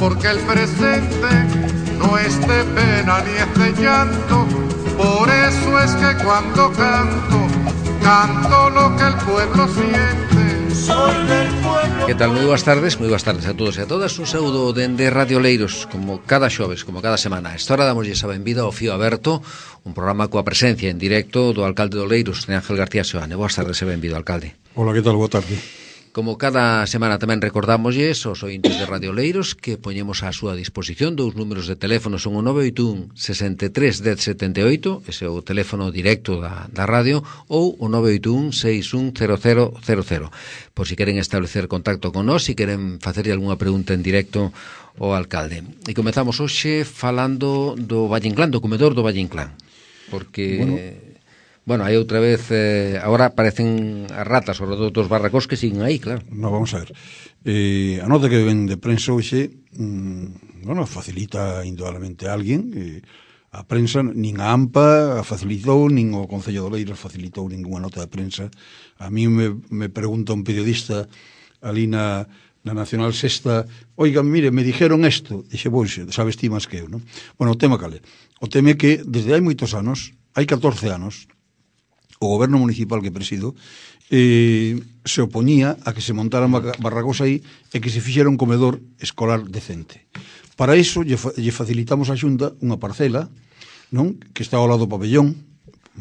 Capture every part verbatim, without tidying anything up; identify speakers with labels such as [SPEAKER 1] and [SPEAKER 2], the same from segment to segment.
[SPEAKER 1] porque el presente no es de pena ni es de llanto. Por eso es que cuando canto, canto lo que el pueblo siente. Soy del pueblo.
[SPEAKER 2] Que tal? Moi boas tardes, moi boas tardes a todos e a todas. Un saúdo dende Radio Oleiros, como cada xoves, como cada semana. A esta hora damoslle a benvida ao Fío Aberto, un programa coa presencia en directo do alcalde de Oleiros, Ángel García Seoane. Boas tardes e benvido, alcalde.
[SPEAKER 3] Hola, que tal? Boa tarde.
[SPEAKER 2] Como cada semana tamén recordámoslle aos ointes de Radio Oleiros que poñemos á súa disposición dous números de teléfono, son o nove oito un, sesenta e tres, dez, setenta e oito, ese é o teléfono directo da, da radio, ou o nove oito un, seis un, cero cero cero cero. Por si queren establecer contacto con nós, si queren facerlle algunha pregunta en directo ao alcalde. E comezamos hoxe falando do Valle Inclán, do comedor do Valle Inclán, porque... Bueno. Bueno, hai outra vez, eh, agora aparecen as ratas ao redor dos barracós que siguen aí, claro.
[SPEAKER 3] No, vamos a ver. Eh, a nota que ven de prensa hoxe, mmm, bueno, facilita indudablemente a alguén. Eh, a prensa, nin a AMPA a facilitou, nin o Concello de Oleiros facilitou ninguna nota de prensa. A mí me, me pregunta un periodista ali na, na Nacional Sexta, oiga, mire, me dijeron isto. Dixe, pois, sabes ti máis que eu, non? Bueno, o tema cale. O tema é que desde hai moitos anos, hai catorce anos, o goberno municipal que presido eh, se opoñía a que se montaran barracos aí e que se fixera un comedor escolar decente. Para iso lle, lle facilitamos a Xunta unha parcela, non, que está ao lado do pabellón,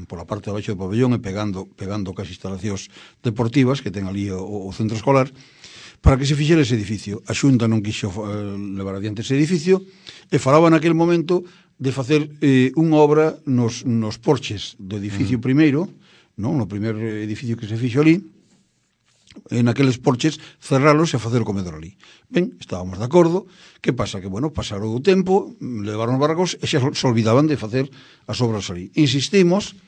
[SPEAKER 3] pola parte de abaixo do pabellón e pegando, pegando cas instalacións deportivas que ten ali o, o centro escolar, para que se fixera ese edificio. A Xunta non quixo eh, levar adiante ese edificio e falaba naquele momento de facer eh, unha obra nos, nos porches do edificio mm. primeiro, non, no primer edificio que se fixo ali, en aqueles porches cerralos e facer o comedor ali. Ben, estábamos de acordo. Que pasa? Que, bueno, pasaron o tempo, levaron os barracos e xa se olvidaban de facer as obras ali. Insistimos,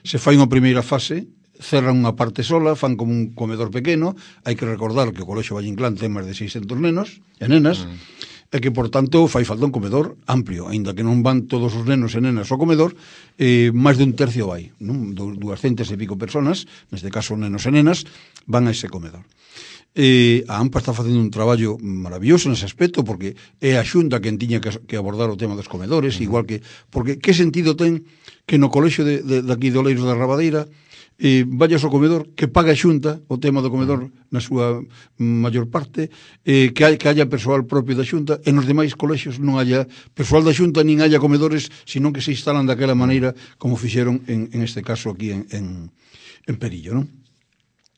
[SPEAKER 3] se fai unha primeira fase, cerran unha parte sola, fan como un comedor pequeno. Hai que recordar que o Colexio Valle Inclán ten máis de seiscentos nenos e nenas, mm. e que, por tanto, fai falta un comedor amplio, aínda que non van todos os nenos e nenas ao comedor, eh, máis de un tercio vai, non? duascentas e pico personas, neste caso nenos e nenas, van a ese comedor. Eh, a AMPA está facendo un traballo maravilloso nese aspecto, porque é a Xunta quen tiña que, que abordar o tema dos comedores, uh-huh. igual que, porque que sentido ten que no colexio de, de, de aquí de Oleiros da Rabadeira eh, vayas ao comedor, que paga a Xunta o tema do comedor na súa maior parte, eh, que, hai, que haya persoal propio da Xunta, e nos demais colexios non haya persoal da Xunta nin haya comedores, senón que se instalan daquela maneira como fixeron en, en este caso aquí en, en, en Perillo, non?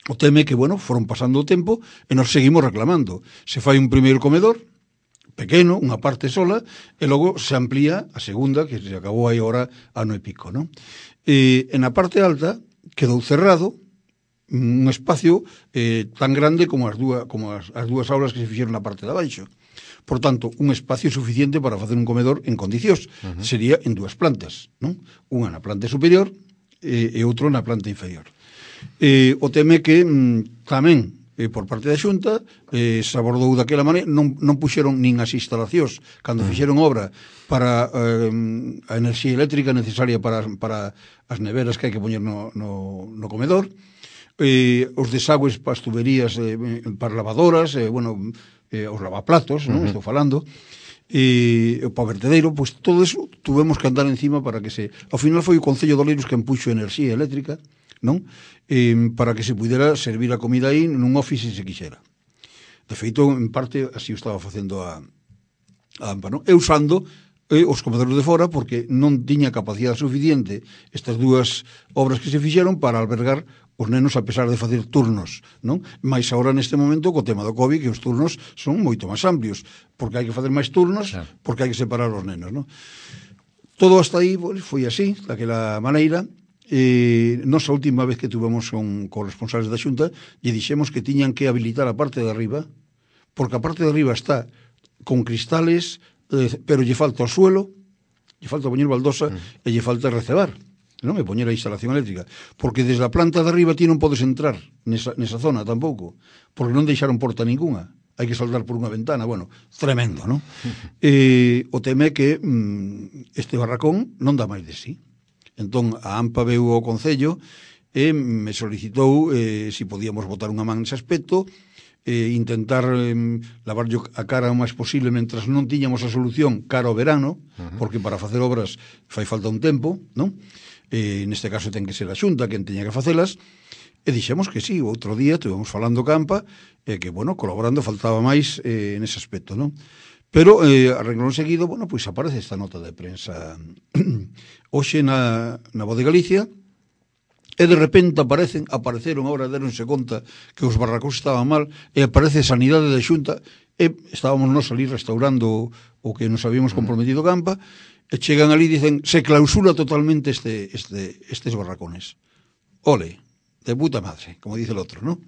[SPEAKER 3] O tema é que, bueno, foron pasando o tempo e nos seguimos reclamando. Se fai un primeiro comedor pequeno, unha parte sola, e logo se amplía a segunda, que se acabou aí ahora ano e pico, non? E en a parte alta quedou cerrado un espacio eh, tan grande como as dúas como as, as dúas aulas que se fixeron na parte de abaixo. Por tanto, un espacio suficiente para facer un comedor en condicións. Uh-huh. Sería en dúas plantas, non? Unha na planta superior e, e outro na planta inferior. Eh, o tema é que mm, tamén eh, por parte da Xunta eh, se abordou daquela maneira, non, non puxeron nin as instalacións cando uh-huh. fixeron obra para eh, a enerxía eléctrica necesaria para, para as neveras que hai que poñer no, no, no comedor, eh, os desagües para as tuberías eh, para lavadoras, eh, bueno, eh, os lavaplatos, non? Uh-huh. Estou falando, e o para vertedero, pois pues, todo eso tuvemos que andar encima para que se... Ao final foi o Concello de Oleiros que empuxo enerxía eléctrica, non? Eh, para que se pudera servir a comida aí nun office se quixera. De feito, en parte, así o estaba facendo a, a AMPA, non? E usando eh, os comedores de fora, porque non tiña capacidade suficiente estas dúas obras que se fixeron para albergar os nenos a pesar de facer turnos, non? Mais agora neste momento co tema do COVID que os turnos son moito máis amplios, porque hai que facer máis turnos, claro. Porque hai que separar os nenos, non? Todo hasta aí pues, foi así, daquela maneira. Eh, nosa última vez que tuvemos con corresponsables da Xunta lle dixemos que tiñan que habilitar a parte de arriba, porque a parte de arriba está con cristales, eh, pero lle falta o suelo, lle falta poñer baldosa mm. e lle falta recebar, non? E poñer a instalación eléctrica, porque desde a planta de arriba ti non podes entrar nesa, nesa zona tampouco, porque non deixaron porta ninguna, hai que saltar por unha ventana, bueno, tremendo, non? eh, o tema é que mm, este barracón non dá máis de sí. Entón, a AMPA veu ao Concello e me solicitou eh, se si podíamos botar unha man nese aspecto eh, intentar eh, lavar a cara o máis posible mentras non tiñamos a solución cara ao verano, uh-huh. porque para facer obras fai falta un tempo, non? Eh, neste caso ten que ser a Xunta quen teña que facelas, e dixemos que sí, outro día estivemos falando campa, e eh, que, bueno, colaborando faltaba máis eh, nese aspecto, non? Pero, eh, a renglón seguido, bueno, pois aparece esta nota de prensa hoxe na, na Voz de Galicia, e de repente aparecen, apareceron, agora deronse conta que os barracos estaban mal, e aparece Sanidade da Xunta, e estábamos nos ali restaurando o que nos habíamos comprometido campa, e chegan ali e dicen, se clausura totalmente este, este, estes barracones. Ole, de puta madre, como dice el otro, ¿no?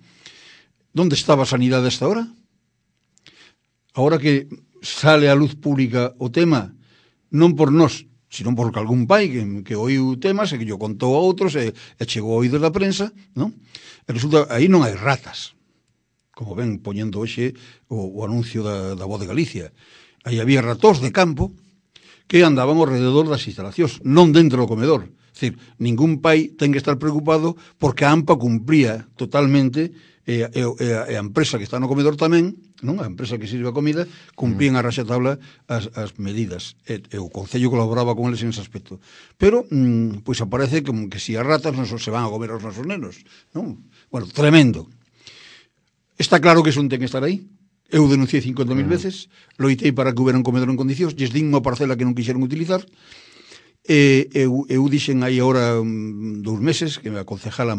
[SPEAKER 3] ¿Dónde estaba Sanidade hasta ahora? Ahora que sale a luz pública o tema, non por nós, sino porque algún pai que, que oiu temas e que yo contou a outros e, e chegou a oídos da prensa, non? E resulta, aí non hai ratas, como ven poñendo hoxe o, o anuncio da, da Voz de Galicia. Aí había ratós de campo que andaban ao rededor das instalacións, non dentro do comedor. É dicir, ningún pai ten que estar preocupado porque a AMPA cumplía totalmente e, e, e, a, e a empresa que está no comedor tamén, non? A empresa que sirve a comida, cumplían a raxatabla as, as medidas. E, e o Concello colaboraba con eles en ese aspecto. Pero, mm, pois aparece como que si as ratas non se van a comer aos nosos nenos, non? Bueno, tremendo. Está claro que son ten que estar aí. Eu denunciei cincuenta mil veces, loitei para que houbera un comedor en condicións, lles din unha parcela que non quixeron utilizar, e eu, eu dixen aí agora um, dous meses que a concejala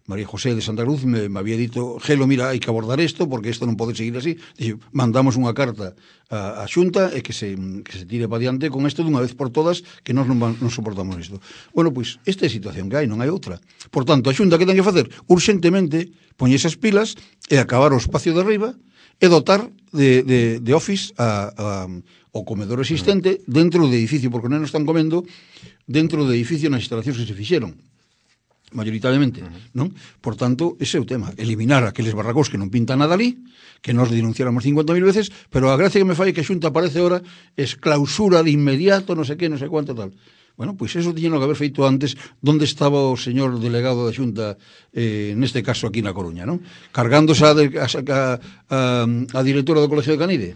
[SPEAKER 3] María José de Santa Cruz me, me había dito, Gelo, mira, hai que abordar isto porque isto non pode seguir así. Dixe, mandamos unha carta a, a Xunta e que se, que se tire para diante con isto dunha vez por todas, que nós non, non soportamos isto. Bueno, pois, esta é a situación que hai, non hai outra. Por tanto, a Xunta que ten que facer? Urxentemente poñerse as pilas e acabar o espacio de arriba e dotar de, de, de office a, a, o comedor existente dentro do edificio, porque non están comendo dentro do edificio nas instalacións que se fixeron mayoritariamente, non? Por tanto, ese é o tema, eliminar aqueles barracós que non pintan nada ali, que nos denunciáramos cincuenta mil veces, pero a gracia que me fai que a Xunta aparece ahora es clausura de inmediato, non sei que, non sei cuánto tal. Bueno, pois pues eso tiñeno que haber feito antes. Donde estaba o señor delegado da Xunta, eh, neste caso aquí na Coruña, non? Cargándose a, de, a, a, a, a directora do Colegio de Canide.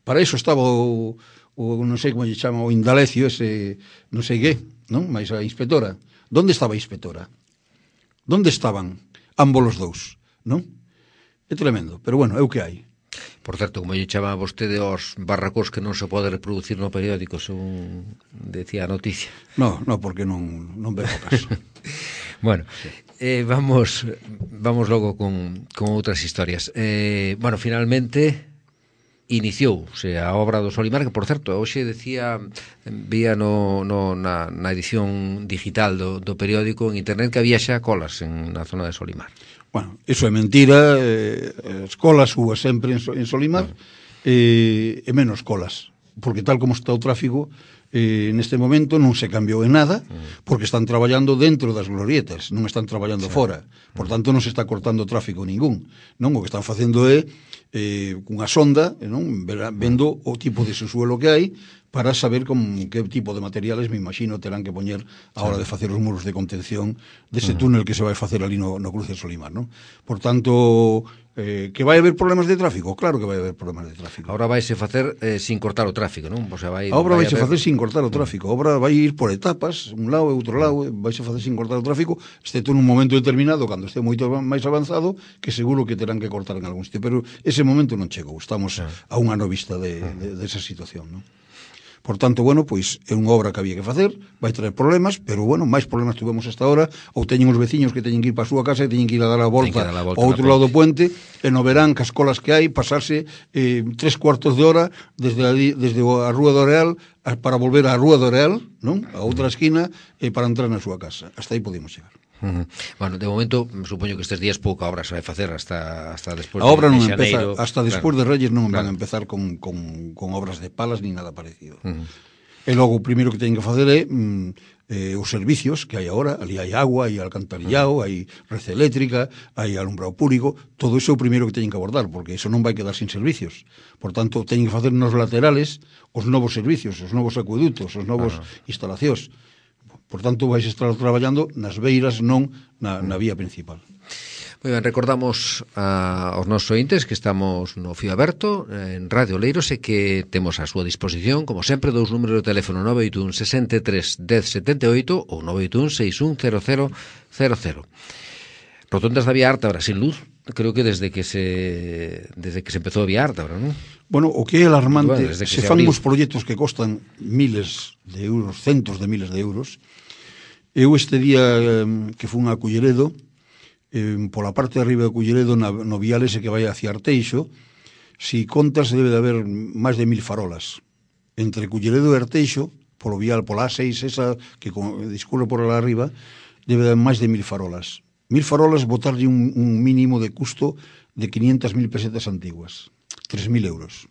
[SPEAKER 3] Para eso estaba o, o non sei como lle chama, o Indalecio, ese, non sei que, non? Mais a inspectora. Donde estaba a inspectora? Donde estaban ambos os dous, non? É tremendo, pero bueno, é o que hai.
[SPEAKER 2] Por certo, como lle chama vostede aos barracós que non se pode reproducir no periódico, según decía a noticia.
[SPEAKER 3] No, no, porque non, non veo o caso.
[SPEAKER 2] Bueno, eh, vamos vamos logo con, con outras historias. Eh, bueno, finalmente iniciouse a obra do Solimar, que, por certo, hoxe decía, vía no, no, na, na edición digital do, do periódico en internet que había xa colas en, na zona de Solimar.
[SPEAKER 3] Bueno, eso é mentira, eh, as colas hubo sempre en, en Solimar, eh, e menos colas, porque tal como está o tráfico, eh, neste momento non se cambiou en nada, porque están traballando dentro das glorietas, non están traballando sí. fora, por tanto non se está cortando tráfico ningún, non? O que están facendo é eh, cunha sonda, non? Vendo o tipo de subsuelo que hai, para saber con que tipo de materiales, me imagino, terán que poñer a hora de facer os muros de contención dese túnel que se vai facer ali no, no cruce de Solimar, non? Por tanto, eh, que vai haber problemas de tráfico? Claro que vai haber problemas de tráfico.
[SPEAKER 2] Ahora vaise facer eh, sin cortar o tráfico, non? O sea, vai,
[SPEAKER 3] a obra
[SPEAKER 2] vai
[SPEAKER 3] vaise
[SPEAKER 2] haber...
[SPEAKER 3] facer sin cortar o tráfico. A obra vai ir por etapas, un lado e outro lado, vaise facer sin cortar o tráfico, excepto nun momento determinado, cando este moito máis avanzado, que seguro que terán que cortar en algún sitio, pero ese momento non chegou. Estamos a un ano vista de, de, de esa situación, non? Por tanto, bueno, pois é unha obra que había que facer, vai traer problemas, pero bueno, máis problemas tuvemos hasta ahora, ou teñen os veciños que teñen que ir para a súa casa e teñen que ir a dar a volta, dar a volta ao outro lado do puente, e no verán que as colas que hai, pasarse eh, tres cuartos de hora desde a, desde a Rúa do Areal para volver á Rúa do Areal, non? A outra esquina, e para entrar na súa casa. Hasta aí podemos chegar.
[SPEAKER 2] Uh-huh. Bueno, de momento, supoño que estes días pouca obra se vai facer hasta, hasta despois
[SPEAKER 3] a obra
[SPEAKER 2] de,
[SPEAKER 3] non
[SPEAKER 2] de
[SPEAKER 3] empeza, hasta despois
[SPEAKER 2] claro,
[SPEAKER 3] de Reyes non
[SPEAKER 2] claro.
[SPEAKER 3] van a empezar con, con, con obras de palas ni nada parecido.
[SPEAKER 2] Uh-huh.
[SPEAKER 3] E logo o primeiro que teñen que facer é mm, eh, os servicios que hai agora, ali hai agua, hai alcantarillado, uh-huh. hai rede eléctrica, hai alumbrado público, todo iso é o primeiro que teñen que abordar, porque iso non vai quedar sin servicios. Por tanto, teñen que facer nos laterales os novos servicios, os novos acuedutos, os novos uh-huh. instalacións. Por tanto, vais estar traballando nas beiras, non na, na vía principal.
[SPEAKER 2] Moi ben, recordamos a, aos nosos ointes que estamos no Fío Aberto en Radio Oleiros e que temos a súa disposición, como sempre, dous números de teléfono nove oito un sesenta e tres dez setenta e oito ou nove oito un seis un cero cero cero cero. Rotondas da Vía Arta, ahora sin luz, creo que desde que se desde que se empezou a Vía Arta, ahora, non?
[SPEAKER 3] Bueno, o que é alarmante,
[SPEAKER 2] bueno, se,
[SPEAKER 3] se, se
[SPEAKER 2] fan
[SPEAKER 3] os proxectos que costan miles de euros, centos de miles de euros. Eu este día eh, que fun a Culleredo, eh, pola parte de arriba de Culleredo, na, no vial ese que vai hacia Arteixo, si contas debe de haber máis de mil farolas. Entre Culleredo e Arteixo, polo vial, pola A seis, esa que discurre por lá arriba, debe de haber máis de mil farolas. Mil farolas, botarlle un, un mínimo de custo de quinientas mil pesetas antiguas. tres mil euros.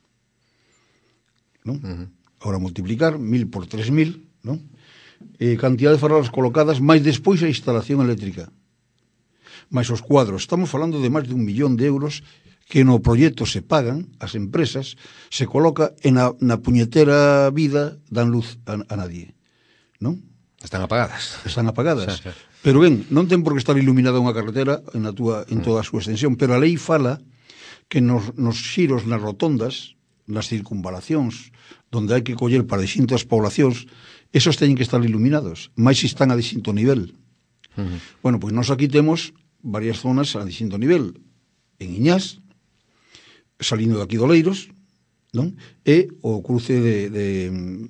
[SPEAKER 3] ¿No? Uh-huh. Ahora multiplicar mil por tres mil, ¿no? Eh, cantidad de farolas colocadas, máis despois a instalación eléctrica. Mais os cuadros, estamos falando de máis de un millón de euros que no proxecto se pagan, as empresas, se coloca en a, na puñetera vida, dan luz a, a nadie, non?
[SPEAKER 2] Están apagadas.
[SPEAKER 3] Están apagadas. Pero ben, non ten por que estar iluminada unha carretera en, a túa, en toda a súa extensión, pero a lei fala que nos, nos xiros, nas rotondas, nas circunvalacións, donde hai que coller para distintas poblacións, esos teñen que estar iluminados, máis se están a distinto nivel. Uh-huh. Bueno, pois nós aquí temos varias zonas a distinto nivel, en Iñás, salindo de aquí do Oleiros, non? E o cruce de, de,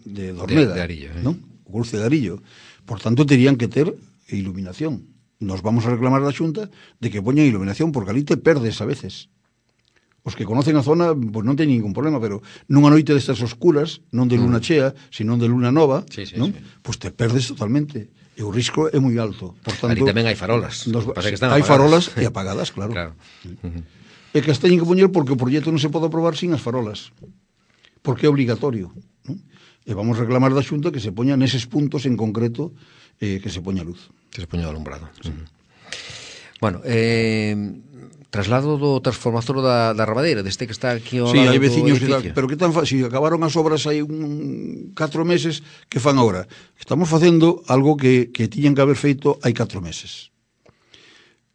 [SPEAKER 3] de Dormeda,
[SPEAKER 2] de, de Arillo, eh?
[SPEAKER 3] Non? O cruce de Arillo. Por tanto, terían que ter iluminación. Nos vamos a reclamar da Xunta de que poñan iluminación, porque ali te perdes a veces. Os que conocen a zona, pois non ten ningún problema, pero nunha noite destas oscuras, non de luna chea, sino de luna nova,
[SPEAKER 2] sí, sí,
[SPEAKER 3] non?
[SPEAKER 2] Sí.
[SPEAKER 3] Pois te perdes totalmente. E o risco é moi alto. Por tanto,
[SPEAKER 2] ali tamén hai farolas.
[SPEAKER 3] Nos,
[SPEAKER 2] Pasa que están
[SPEAKER 3] hai
[SPEAKER 2] apagadas.
[SPEAKER 3] farolas e apagadas, claro.
[SPEAKER 2] Claro.
[SPEAKER 3] Uh-huh. E que as teñen que poñer porque o proxecto non se pode aprobar sin as farolas. Porque é obligatorio, non? E vamos a reclamar da Xunta que se poña neses puntos en concreto eh, que se poña luz.
[SPEAKER 2] Que se poña alumbrado. Sí. Uh-huh. Bueno, eh, traslado do transformador da, da Rabadeira, deste que está aquí ao
[SPEAKER 3] sí,
[SPEAKER 2] lado
[SPEAKER 3] hai veciños
[SPEAKER 2] do edificio.
[SPEAKER 3] Que, pero que tan fa, si acabaron as obras hai un catro meses, que fan agora? Estamos facendo algo que, que tiñan que haber feito hai catro meses.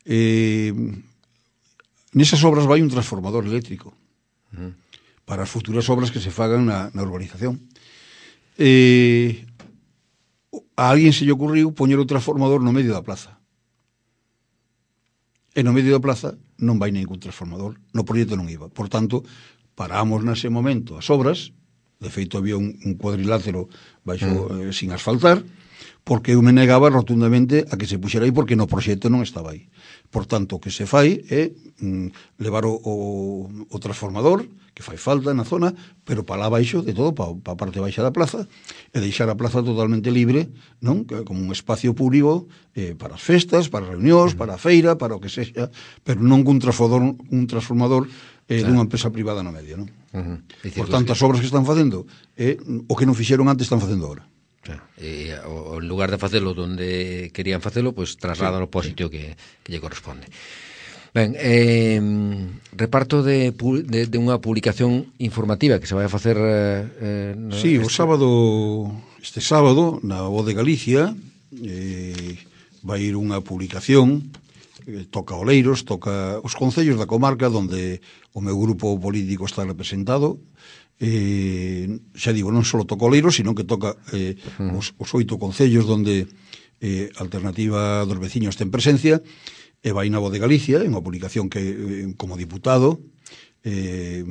[SPEAKER 3] Eh, nesas obras vai un transformador eléctrico uh-huh. para as futuras obras que se fagan na, na urbanización. Eh, a alguén se lle ocurriu poñer o transformador no medio da plaza. E no medio da plaza non vai ningún transformador, no proxecto non iba. Por tanto, paramos nese momento as obras, de feito había un, un cuadrilátero baixo, mm. eh, sin asfaltar, porque eu me negaba rotundamente a que se puxera aí porque no proxecto non estaba aí. Por tanto, o que se fai é mm, levar o, o, o transformador, que fai falta na zona, pero para lá baixo de todo, para, para a parte baixa da plaza, e deixar a plaza totalmente libre, non? Como un espacio público eh, para as festas, para reunións, para a feira, para o que sexa, pero non un transformador, un transformador eh, claro. dunha empresa privada no medio, non? Uh-huh. Por tanto, as obras que están facendo é eh, o que non fixeron antes están facendo agora.
[SPEAKER 2] Claro. E, o, en lugar de facelo donde querían facelo, pois pues, trasladan sí, ao sitio sí. que, que lle corresponde. Ben, eh, reparto de, de, de unha publicación informativa que se vai a facer eh, no,
[SPEAKER 3] sí,
[SPEAKER 2] este...
[SPEAKER 3] o sábado este sábado na Voz de Galicia eh, vai ir unha publicación eh, toca Oleiros, toca os concellos da comarca onde o meu grupo político está representado. Eh, xa digo, non só toca Oleiros, sino que toca eh, uh-huh. os, os oito concellos onde eh, Alternativa dos Veciños ten presencia. E vai na Voz de Galicia, en unha publicación que, eh, como diputado, eh,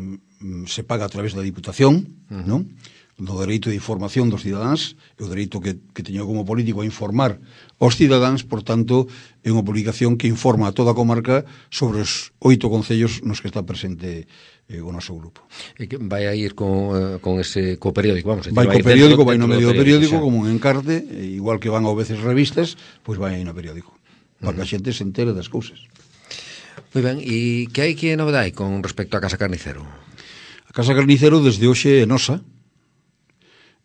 [SPEAKER 3] se paga a través da Diputación, uh-huh. non? Do dereito de información dos cidadáns, e o dereito que, que teño como político a informar os cidadáns, por tanto, é unha publicación que informa a toda a comarca sobre os oito concellos nos que está presente eh, o noso grupo.
[SPEAKER 2] E que vai a ir con, eh, con ese co periódico, vamos,
[SPEAKER 3] vai co periódico, vai no medio do periódico, como un encarte, igual que van a veces revistas, pois vai aí no periódico, para que a xente se entere das cousas.
[SPEAKER 2] Moi ben, e que hai que novedade con respecto á Casa Carnicero?
[SPEAKER 3] A Casa Carnicero desde hoxe é nosa.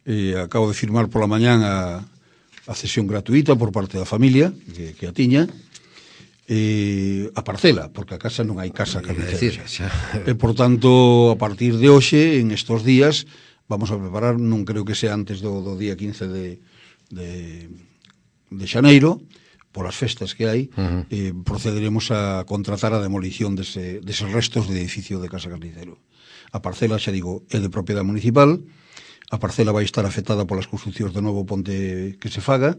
[SPEAKER 3] Eh, acabo de firmar pola mañán a, a cesión gratuita por parte da familia que, que a tiña, eh, a parcela, porque a casa non hai Casa Carnicero.
[SPEAKER 2] Decir, xa.
[SPEAKER 3] E, por tanto, a partir de hoxe, en estos días, vamos a preparar, non creo que sea antes do, do día quince de, de, de xaneiro, polas festas que hai, uh -huh. eh, procederemos a contratar a demolición dese, deses restos de edificio de Casa Carnicero. A parcela, xa digo, é de propiedade municipal, a parcela vai estar afectada polas construccións do novo ponte que se faga,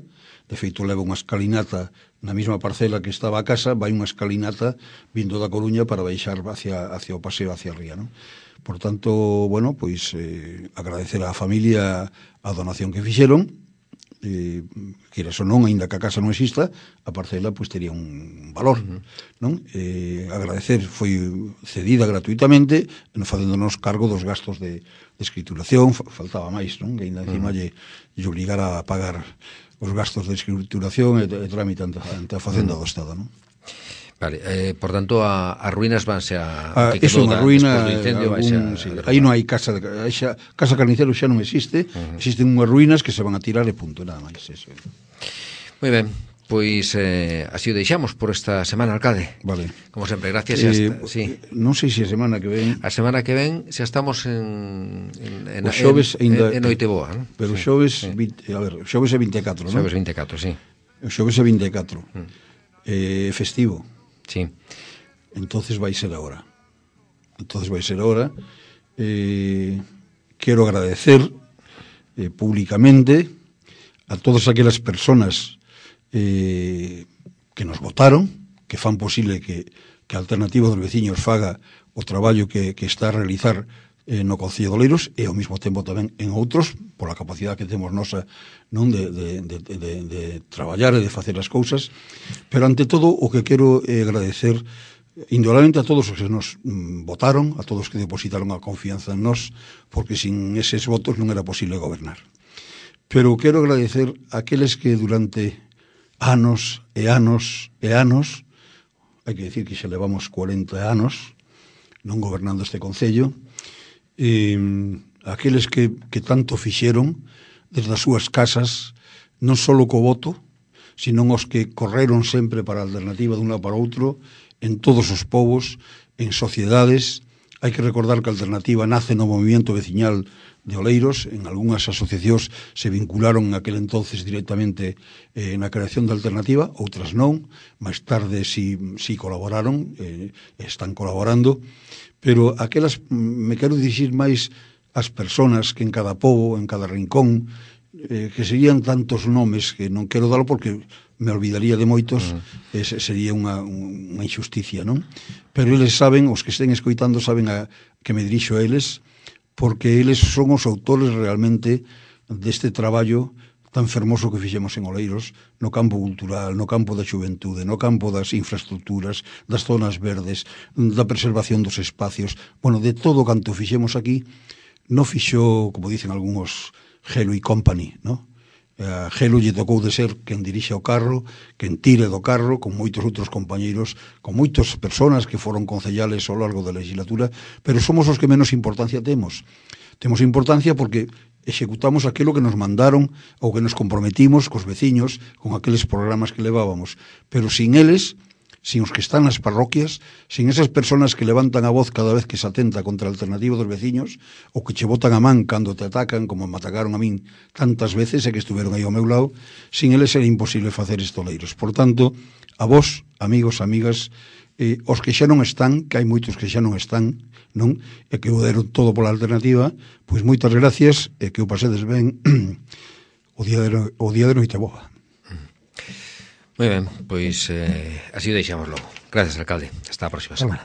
[SPEAKER 3] de feito leva unha escalinata na mesma parcela que estaba a casa, vai unha escalinata vindo da Coruña para baixar hacia, hacia o paseo hacia a ría, non? Por tanto, bueno, pois eh, agradecer á familia a donación que fixeron, eh, queres ou non, aínda que a casa non exista, a parcela pois tería un valor, uh -huh. non? Eh, agradecer, foi cedida gratuitamente, facéndonos cargo dos gastos de, de escrituración, faltaba máis, non? Que aínda encima uh -huh. lle, lle obligara a pagar os gastos de escrituración e, e trámite ante, ante a Facenda uh -huh. do Estado, non?
[SPEAKER 2] Vale, eh, por tanto, a, a ruínas vanse a...
[SPEAKER 3] Ah, eso, unha ruína, algún, sí, aí non hai casa, de, xa, casa Carnicero xa non existe, uh -huh. existen unhas ruínas que se van a tirar e punto, nada máis, eso.
[SPEAKER 2] Moi ben, pois eh, así o deixamos por esta semana, alcalde.
[SPEAKER 3] Vale.
[SPEAKER 2] Como sempre, gracias.
[SPEAKER 3] Eh,
[SPEAKER 2] hasta, sí.
[SPEAKER 3] Non sei se a semana que ven...
[SPEAKER 2] A semana que ven xa estamos en... en, en
[SPEAKER 3] o xoves
[SPEAKER 2] en,
[SPEAKER 3] ainda,
[SPEAKER 2] en Noiteboa, non?
[SPEAKER 3] Pero o
[SPEAKER 2] sí,
[SPEAKER 3] xoves,
[SPEAKER 2] sí.
[SPEAKER 3] vinte, a ver, o xoves é vinte e catro, non?
[SPEAKER 2] Xoves vinte e catro, sí.
[SPEAKER 3] O xoves é vinte e catro. Mm. Eh, festivo.
[SPEAKER 2] Sí.
[SPEAKER 3] Entonces vai ser ahora. Entonces vai ser ahora. Eh, quero agradecer eh, públicamente a todas aquelas personas eh, que nos votaron, que fan posible que, que a Alternativa dos Veciños faga o traballo que, que está a realizar eh, no Concello de Oleiros e ao mesmo tempo tamén en outros, pola capacidade que temos nosa, non, de, de, de, de, de traballar e de facer as cousas, pero ante todo o que quero é agradecer indudablemente a todos os que nos mm, votaron, a todos que depositaron a confianza en nós, porque sin eses votos non era posible gobernar. Pero quero agradecer a aqueles que durante anos e anos e anos, hai que decir que xa levamos cuarenta anos non gobernando este concello, eh, aqueles que, que tanto fixeron desde as súas casas, non só co voto, sino os que correron sempre para a Alternativa dun lado para outro, en todos os povos, en sociedades. Hai que recordar que a Alternativa nace no movimento veciñal de Oleiros, en algunhas asociacións se vincularon en aquel entonces directamente eh, na creación da Alternativa, outras non, máis tarde si, si colaboraron, eh, están colaborando, pero aquelas, me quero dirixir máis ás persoas que en cada pobo, en cada rincón, eh, que serían tantos nomes que non quero dalo porque me olvidaría de moitos, uh -huh. ese sería unha, unha injusticia, non? Pero eles saben, os que estén escoitando saben a, que me dirixo a eles, porque eles son os autores realmente deste traballo tan fermoso que fixemos en Oleiros, no campo cultural, no campo da xuventude, no campo das infraestructuras, das zonas verdes, da preservación dos espacios, bueno, de todo canto fixemos aquí, non fixo, como dicen algúns, Gelo e Company, non? A Gelo lle tocou de ser quen dirixe o carro, quen tire do carro, con moitos outros compañeiros, con moitas persoas que foron concellales ao largo da legislatura, pero somos os que menos importancia temos. Temos importancia porque executamos aquilo que nos mandaron ou que nos comprometimos cos veciños con aqueles programas que levábamos, pero sin eles, sin os que están nas parroquias, sin esas persoas que levantan a voz cada vez que se atenta contra a Alternativa dos veciños, ou que che botan a man cando te atacan, como me atacaron a min tantas veces e que estuveron aí ao meu lado, sin eles era imposible facer estes Oleiros. Por tanto, a vos, amigos, amigas, eh, os que xa non están, que hai moitos que xa non están, non, e que o deron todo pola Alternativa, pois moitas gracias e que o pasedes ben o día de, o día de Noiteboa.
[SPEAKER 2] Moi ben, pois eh, así o deixamos logo. Gracias, alcalde. Hasta a próxima semana.